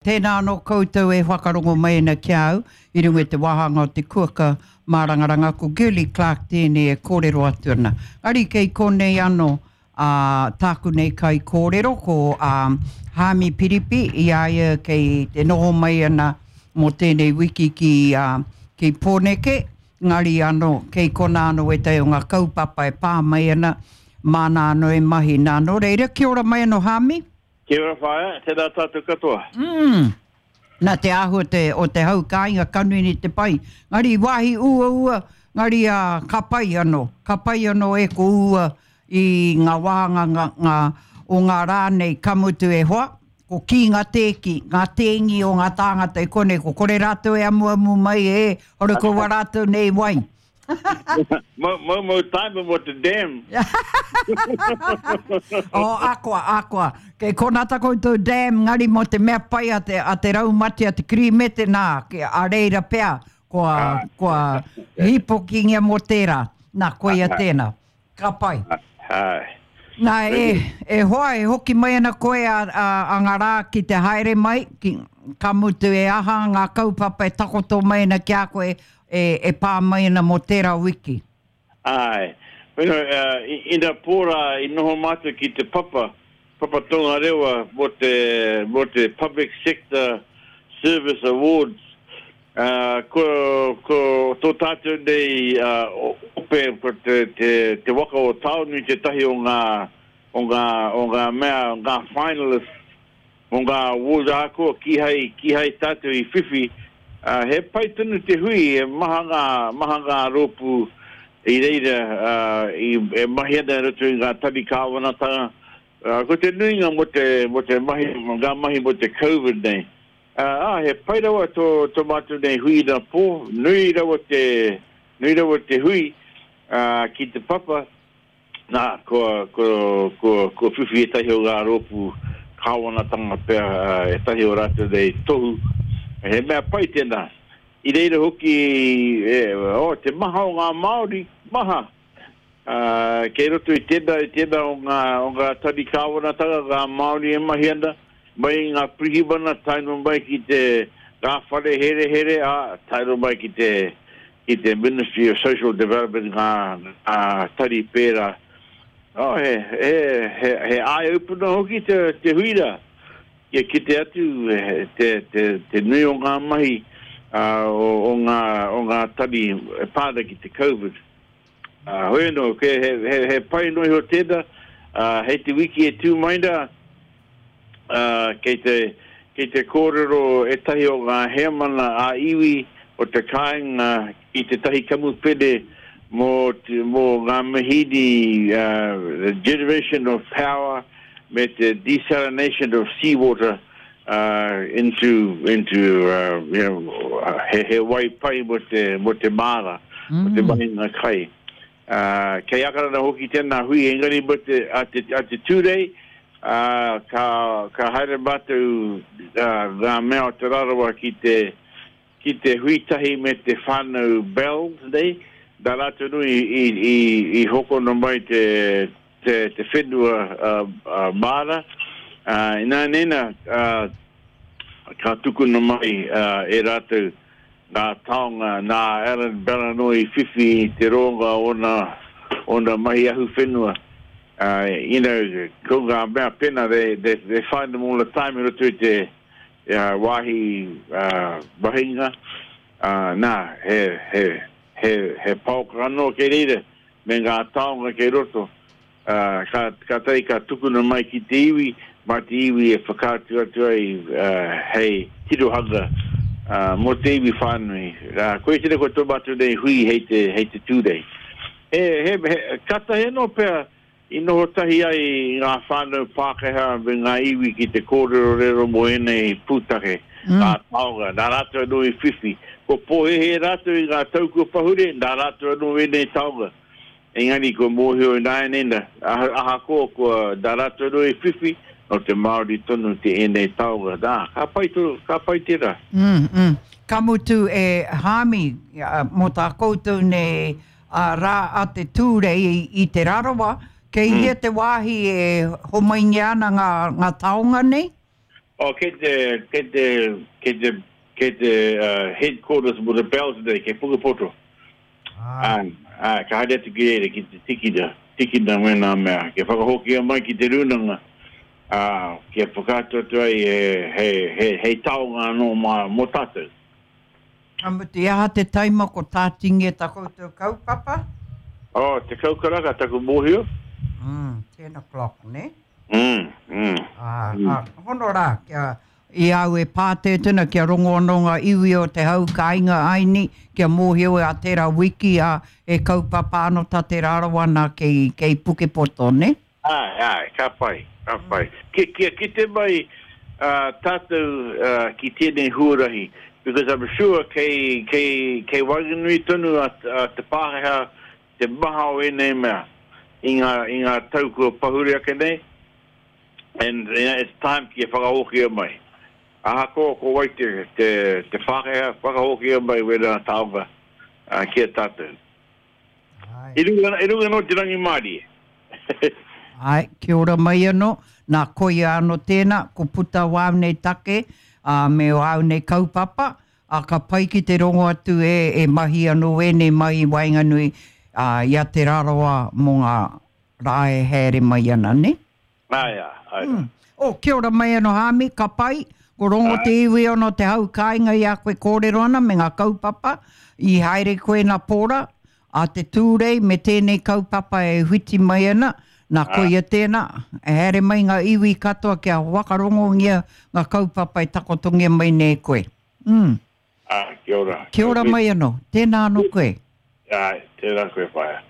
Tēnā anō koutou e whakarongo mai ana ki a au i runga i te wāhanga o te kuaka mārangaranga, ko Girlie Clarke tēnei e kōrero atu ana. Engari kei konei anō ā, tāku nei kaikōrero ko ā, Haami Piripi i a ia kei te noho mai ana mō tēnei wiki ki, ā, ki Pōneke, engari anō kei konā anō wētahi o ngā kaupapa e pā mai ana, māna anō e mahi. Nā, nō reira, kia ora mai anō Haami. Kia ora whaea, tēnā tātou katoa. Mm. Nā te āhua te, o te hau kāinga ka nui nei te pai. Ngari wāhi uaua, ngari a, ka pai anō. Ka pai anō e ko ua i ngā wāhanga ngā, ngā, o ngā rā nei ka mutu e hoa, ko kī ngā tēki, ngā tēngi o ngā tāngata i konei, ko kore rātou e amuamu mai e, hore ko wā rātou nei wai. Moumou time mo te dam. Oh, akoa, akoa. Kei kona ta koutou dam, ngari mo te mea pai a te, a te raumati, a te kirimete, nā, a reira pea, kua, ah. kua hīpokingia mo tērā. Nā, koia ah. tēnā. Ka pai. Āe. Nā, e, e hoa, e hoki mai ana koe a, a, a ngā rā ki te haere mai, ki, ka mutu e aha ngā kaupapa e takoto mai ana ki a koe, e, e pā mai ana mō tērā wiki. Āe. Bueno, uh, ina pō rā i noho mātou ki te papa, Papa Tongarewa mō te, mō te Public Sector Service Awards. Ā, ko, ko tō tātou nei ope, ko te, te, te waka o Taonui tētahi o ngā, o ngā, o ngā mea, ngā finalists mō ngā awards ahakoa kīhai, kīhai tātou i whiwhi, ā, he pai tonu te hui, he maha ngā, maha ngā rōpū i reira, ā, i, e mahi ana i roto i ngā tari kāwanatanga, ā, ko te nuinga mō te, mō te mahi, ngā mahi mō te Covid nei. Ā, he pai rawa tō, tō mātou nei hui inapō, nui rawa te, nui rawa te hui, ā, ki te papa, nā, kua, kua, kua, kua whiwhi ētahi o ngā rōpū kāwanatanga pea, ā, ētahi o rātou nei tohu, he mea pai tēnā. I reira hoki, e, oh, te maha o ngā Māori, maha! Ā, kei roto i tēnā, i tēnā o ngā, o ngā tari kāwanatanga, ngā Māori e mahi ana, mai i ngā pirihimana tae noa mai ki te, ngā whare herehere, ā, tae noa mai ki te, ki te Ministry of Social Development, ngā, ngā tari pērā. Oh, he, he, he, he eye-opener hoki te, te hui rā, kia kite atu te, te, te nui o ngā mahi, ā, o, o ngā, o ngā tari e pā ana ki te Covid. Ā, hoi anō, he, he, he pai noa iho tēnā, ā, hei te wiki e tū mai rā, ā, kei te, kei te kōrero ētahi o ngā heamana ā-iwi o te kāinga ki tētahi kamupene mō, mō ngā mihīni, ā, the generation of power me te desalination of seawater, ā, into, into, you know, he, he wai pai mō te, mō te māra, mō te mahinga kai. Ā, kei Akarana hoki tēnā hui, engari mō te, a te, a te Tūrei, ā, ka, ka haere mātou, ā, ngā mea o Te Rarawa ki te, ki te hui tahi me te whānau Bells nei, nā rātou nui i, i, i hokona mai te, te, te whenua uh, māra. Uh, ināianei nā, uh, ka tukuna mai uh, e rātou ngā taonga nā Alan Bell anō i whiwhi i te rōnga ōna, ōna mahi ahuwhenua. Uh, you know, ko ngā mea pena, they, they, they find them all the time i roto i te, uh, wāhi uh, mahinga. Uh, nā, he, he, he, he paoka anō kei reira me ngā taonga kei roto, ā, ka, kātahi ka tukuna mai ki te iwi, mā te iwi e whakaatu atu ai hei tirohanga mō te iwi whānui. Ā, koia tēnei ko tō mātou nei hui hei te, hei te Tūrei. He, he, he, kātahi anō pea I noho tahi ai ngā whānau Pākehā me ngā iwi ki te kōrerorero mō ēnei pūtake, ngā taonga, nā rātou anō i whiwhi. Kua pōhēhē rātou i ngā tau kua pahure, nā rātou anō ēnei taonga. Engari kua mōhio ināianei nā, ahakoa kua nā rātou anō i whiwhi, nō te Māori tonu te ēnei taonga. Nā, ka pai tō, ka pai tērā. Mm, mm. Ka mutu e Hāmi, mō tā koutou nei A rā a te Tūrei i Te Rarawa, kei hea te wāhi e homaingia ana ngā, ngā taonga nei? Oh, kei te, kei te, kei te, kei te uh, headquarters mo te Bells nei, kei Pukepoto. Ah. Āe, āe, ka haere atu ki reira ki te tikina, tikina wēnā mea, kia whakahokia mai ki te rūnanga, ā, kia whakaatu atu ai he, he, he, hei taonga anō mā, mō tātou. Ka mutu, i aha te taima ko tātingia tā koutou kaupapa? Oh, 10 karaka taku mōhio. Mm, ten o'clock, nē? Mm, mm. Ā, ā, hono rā, kia, I a au e pātētē ana kia rongo anō ngā iwi o te hau kāinga aini, kia mōhio a tērā wiki, ā, he kaupapa anō tā Te Rarawa nā kei, kei Pukepoto, nē? Āe, āe, ka pai, ka pai. Kia, kia kite mai tātou ki tēnei huarahi, because I'm sure kei, kei, kei waenganui tonu a, a te Pākehā te maha o ēnei mea i ngā, i ngā tau kua pahure ake nei. And you know, it's time kia whakahokia mai. Ahakoa ko wai te, te, te Pākehā, whakahokia mai wērā taonga uh, ki a tātou. Ai. I runga, i runga anō te rangimārie. Ai, kia ora mai anō. Nā, koia anō tēnā, ko puta wāu nei take, ā, me wāu nei kaupapa, ā, ka pai ki te rongo atu e, e mahi anō ēnei mahi waenganui, ā, i a Te Rarawa mō ngā rā e haere mai ana, nē? Āe, āe, āe rā. Oh, kia ora mai anō Hāmi, ka pai, ko rongo te iwi ono te hau kāinga i a koe kōrero ana me ngā kaupapa i haere koe nā Pōra, a te Tūrei me tēnei kaupapa e whiti mai ana, nā koia tēnā, e haere mai ngā iwi katoa kia whakarongongia ngā kaupapa e takotongia mai nei e koe. Mm. Āe, kia ora. Kia ora mai anō, tēnā anō koe. Āe, tēnā koe whaea.